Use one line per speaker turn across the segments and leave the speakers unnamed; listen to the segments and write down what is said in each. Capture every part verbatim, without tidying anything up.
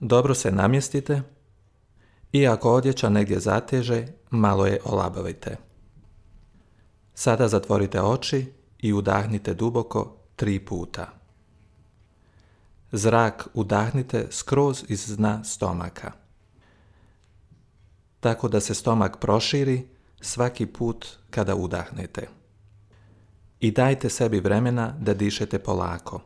Dobro se namjestite i ako odjeća negdje zateže, malo je olabavite. Sada zatvorite oči i udahnite duboko tri puta. Zrak udahnite skroz iz dna stomaka, tako da se stomak proširi svaki put kada udahnete. I dajte sebi vremena da dišete polako.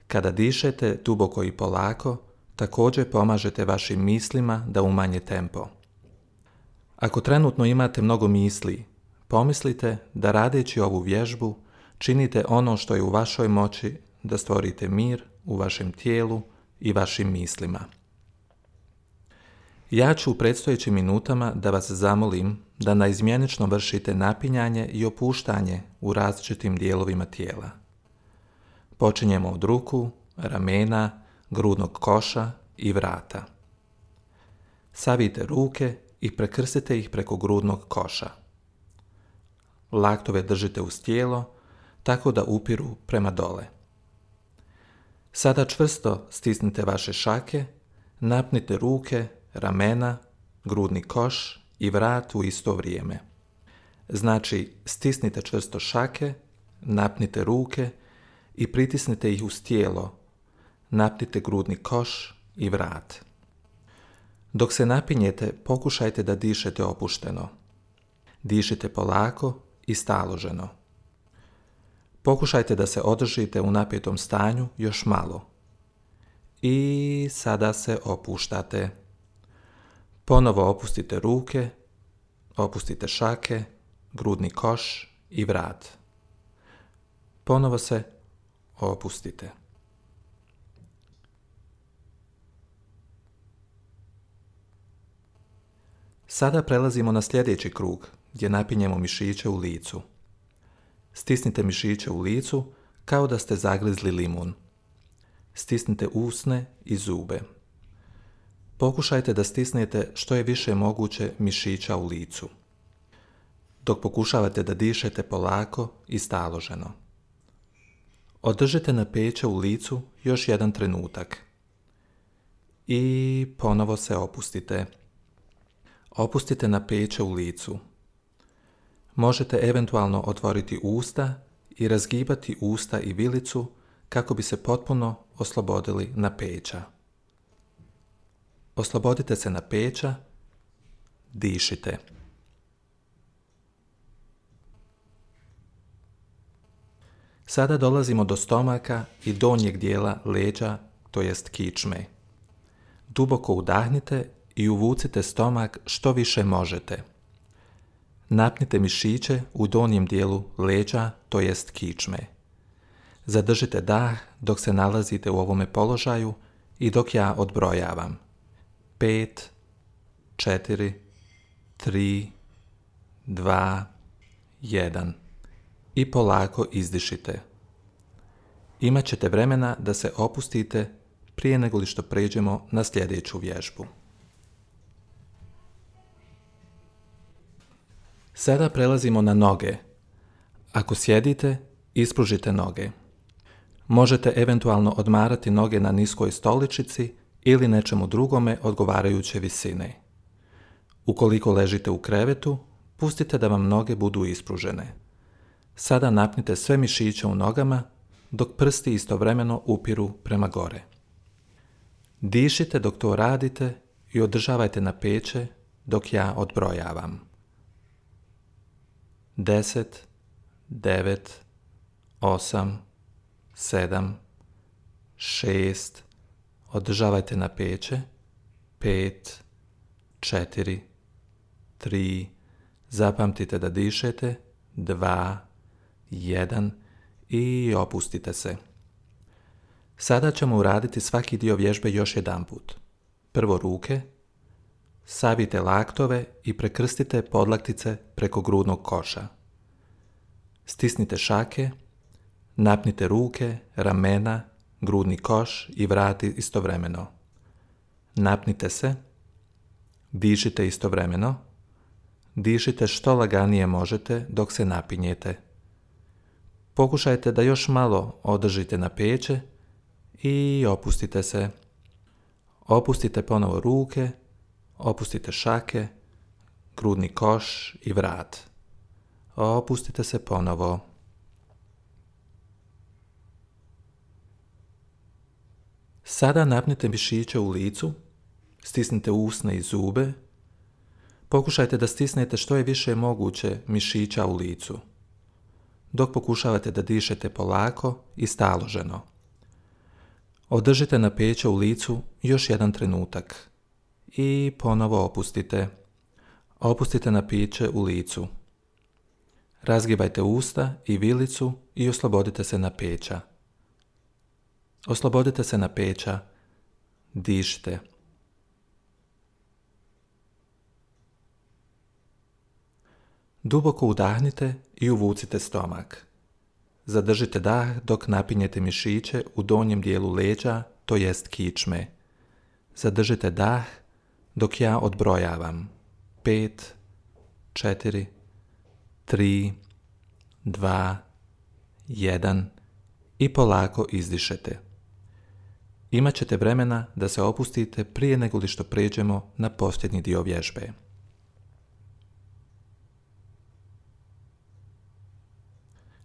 Kada dišete duboko i polako, također pomažete vašim mislima da umanje tempo. Ako trenutno imate mnogo misli, pomislite da radeći ovu vježbu činite ono što je u vašoj moći da stvorite mir u vašem tijelu i vašim mislima. Ja ću u predstojećim minutama da vas zamolim da naizmjenično vršite napinjanje i opuštanje u različitim dijelovima tijela. Počinjemo od ruku, ramena, grudnog koša i vrata. Savijte ruke i prekrstite ih preko grudnog koša. Laktove držite uz tijelo tako da upiru prema dole. Sada čvrsto stisnite vaše šake, napnite ruke, ramena, grudni koš i vrat u isto vrijeme. Znači, stisnite čvrsto šake, napnite ruke i pritisnite ih uz tijelo, napnite grudni koš i vrat. Dok se napinjete, pokušajte da dišete opušteno. Dišite polako i staloženo. Pokušajte da se održite u napjetom stanju još malo. I sada se opuštate. Ponovo opustite ruke, opustite šake, grudni koš i vrat. Ponovo se opustite. Sada prelazimo na sljedeći krug gdje napinjemo mišiće u licu. Stisnite mišiće u licu kao da ste zagrizli limun. Stisnite usne i zube. Pokušajte da stisnete što je više moguće mišića u licu, dok pokušavate da dišete polako i staloženo. Održite napeće u licu još jedan trenutak. I ponovo se opustite. Opustite napeće u licu. Možete eventualno otvoriti usta i razgibati usta i vilicu kako bi se potpuno oslobodili napeća. Oslobodite se napeća, dišite. Sada dolazimo do stomaka i donjeg dijela leđa, to jest kičme. Duboko udahnite i uvucite stomak što više možete. Napnite mišiće u donjem dijelu leđa, to jest kičme. Zadržite dah dok se nalazite u ovome položaju i dok ja odbrojavam. Pet, četiri, tri, dva, jedan. I polako izdišite. Imat ćete vremena da se opustite prije nego li što pređemo na sljedeću vježbu. Sada prelazimo na noge. Ako sjedite, ispružite noge. Možete eventualno odmarati noge na niskoj stoličici ili nečemu drugome odgovarajuće visine. Ukoliko ležite u krevetu, pustite da vam noge budu ispružene. Sada napnite sve mišiće u nogama, dok prsti istovremeno upiru prema gore. Dišite dok to radite i održavajte napeće dok ja odbrojavam. Deset, devet, osam, sedam, šest, održavajte napeće, pet, četiri, tri, zapamtite da dišete, dva, jedan i opustite se. Sada ćemo uraditi svaki dio vježbe još jedanput. Prvo ruke, savijte laktove i prekrstite podlaktice preko grudnog koša. Stisnite šake, napnite ruke, ramena, grudni koš i vrati istovremeno. Napnite se, dišite istovremeno, dišite što laganije možete dok se napinjete. Pokušajte da još malo održite napeće i opustite se. Opustite ponovo ruke, opustite šake, grudni koš i vrat. Opustite se ponovo. Sada napnite mišiće u licu, stisnite usne i zube. Pokušajte da stisnete što je više moguće mišića u licu, dok pokušavate da dišete polako i staloženo. Održite napeće u licu još jedan trenutak i ponovo opustite. Opustite napiće u licu. Razgibajte usta i vilicu i oslobodite se napeća. Oslobodite se napeća. Dišite. Duboko udahnite i uvucite stomak. Zadržite dah dok napinjete mišiće u donjem dijelu leđa, to jest kičme. Zadržite dah dok ja odbrojavam. Pet, četiri, tri, dva, jedan i polako izdišete. Imat ćete vremena da se opustite prije nego li što pređemo na posljednji dio vježbe.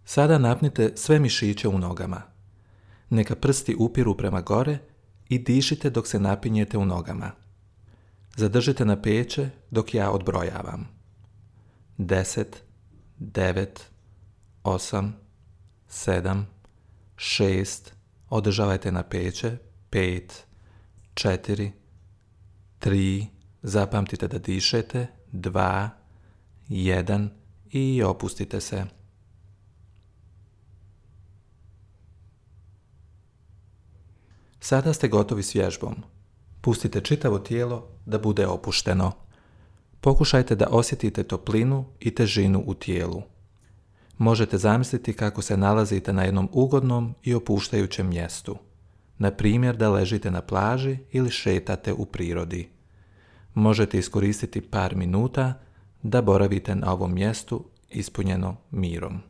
Sada napnite sve mišiće u nogama. Neka prsti upiru prema gore i dišite dok se napinjete u nogama. Zadržite napeće dok ja odbrojavam. Deset, devet, osam, sedam, šest, održavajte napeće, pet, četiri, tri, zapamtite da dišete, dva, jedan i opustite se. Sada ste gotovi s vježbom. Pustite čitavo tijelo da bude opušteno. Pokušajte da osjetite toplinu i težinu u tijelu. Možete zamisliti kako se nalazite na jednom ugodnom i opuštajućem mjestu. Na primjer da ležite na plaži ili šetate u prirodi. Možete iskoristiti par minuta da boravite na ovom mjestu ispunjeno mirom.